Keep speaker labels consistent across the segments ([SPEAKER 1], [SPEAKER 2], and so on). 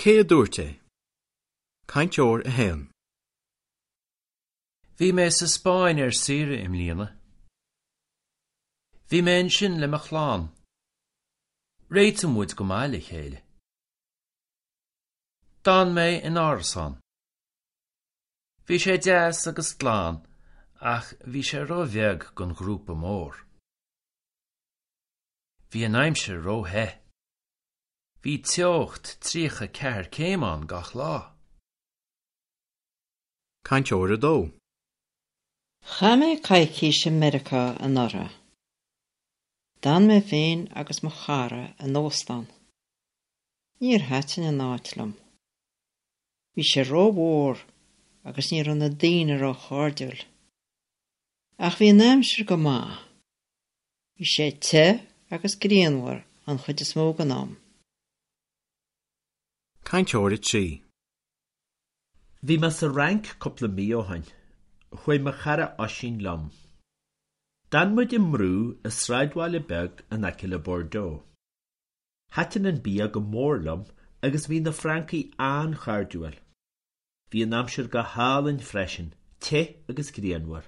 [SPEAKER 1] Cé a dúirt é? Cainteoir 1.
[SPEAKER 2] Bhí mé sa Spáinn ar saoire i mbliana. Bhí mé ansin le mo chlann. Réitíonn muid go maith le chéile. D'fhan mé in árasán. Bhí sé deas agus glan ach bhí sé ró-bheag don ghrúpa mór. Bhí an aimsir ró-the. Bhí teocht 34 céim ann gach lá.
[SPEAKER 1] Cainteoir 2.
[SPEAKER 3] Chaith mé coicís i Meiriceá anuraidh. D'fhan mé féin agus mo chara in óstán. Níor thaitin an áit liom. Bhí sé rómhór agus ní raibh na daoine róchairdiúil. Ach bhí an aimsir go maith. Bhí sé te agus grianmhar an chuid is mó den am.
[SPEAKER 1] Cainteoir 3.
[SPEAKER 4] Bhí mé sa Fhrainc cúpla mí ó shin. Chuaigh mo chara Oisín liom. D'fhan muid i mbrú i sráidbhaile beag in aice le Bordeaux. Thaitin an bia go mór liom agus bhí na Francaigh an-chairdiúil. Bhí an aimsir go hálainn freisin, te agus grianmhar.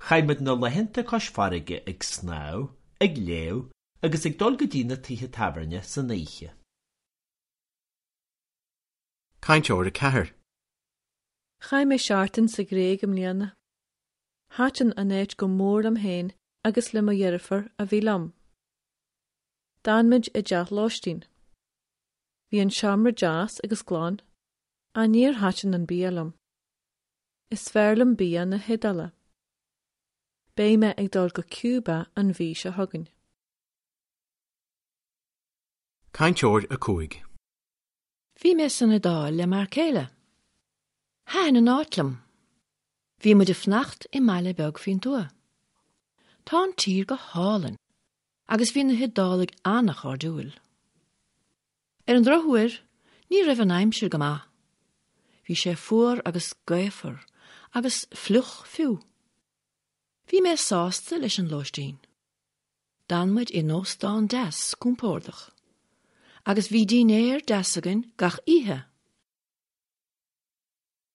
[SPEAKER 4] Chaith muid na laethanta cois farraige ag snámh, ag léamh agus ag dul go dtí na tithe tábhairne san oíche.
[SPEAKER 1] Cainteoir 4.
[SPEAKER 5] Chaith mé seachtain sa Ghréig i mbliana. Thaitin an áit go mór liom féin agus le mo dheirfiúr a bhí liom. D'fhan muid i dteach lóistín. Bhí an seomra deas agus glan, ach níor thaitin an bia liom. Is fearr liom bia na hIodáile. Beidh mé ag dul go Cuba an mhí seo chugainn.
[SPEAKER 1] Cainteoir 5.
[SPEAKER 6] Bhí mé san Iodáil le m'fhear céile. Thaitin an áit liom. Bhí muid ag fanacht i mbaile beag faoin tuath. Tá an tír go hálainn agus bhí na hIodálaigh an-chairdiúil. Ar an drochuair, ní raibh an aimsir go maith. Bhí sé fuar agus gaofar agus fliuch fiú. Bhí mé sásta leis an lóistín. D'fhan muid in óstán deas compordach agus bhí dinnéar deas againn gach oíche.